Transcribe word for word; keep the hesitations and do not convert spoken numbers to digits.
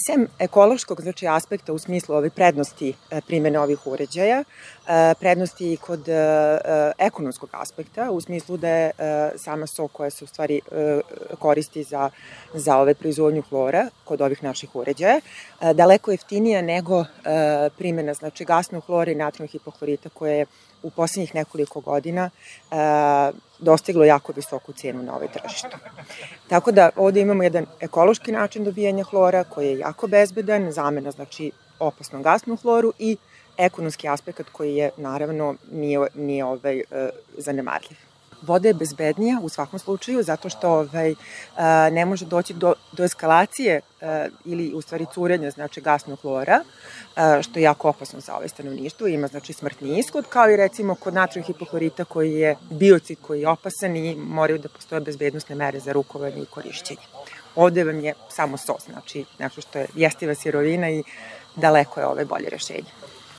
Sem ekološkog, znači, aspekta u smislu ove prednosti primene ovih uređaja, prednosti i kod ekonomskog aspekta, u smislu da je sama so koja se u stvari koristi za, za ove proizvodnju hlora kod ovih naših uređaja, daleko jeftinija nego primena, znači, gasnog hlora i natrijnog hipohlorita koje je u poslednjih nekoliko godina e, dostiglo jako visoku cenu na ovoj tržištu. Tako da ovde imamo jedan ekološki način dobijanja hlora koji je jako bezbedan, zamena, znači, opasnom gasnom hloru i ekonomski aspekt koji je, naravno, nije, nije ovaj, e, zanemarljiv. Voda je bezbednija u svakom slučaju zato što ovaj, ne može doći do, do eskalacije ili u stvari curenja, znači, gasnog hlora, što je jako opasno za ove stanovništvo, ima, znači, smrtni ishod, kao i recimo kod natrijnog hipohlorita koji je biocid koji je opasan i moraju da postoje bezbednosne mere za rukovanje i korišćenje. Ovde vam je samo sos, znači nešto što je jestiva sirovina i daleko je ove bolje rešenje.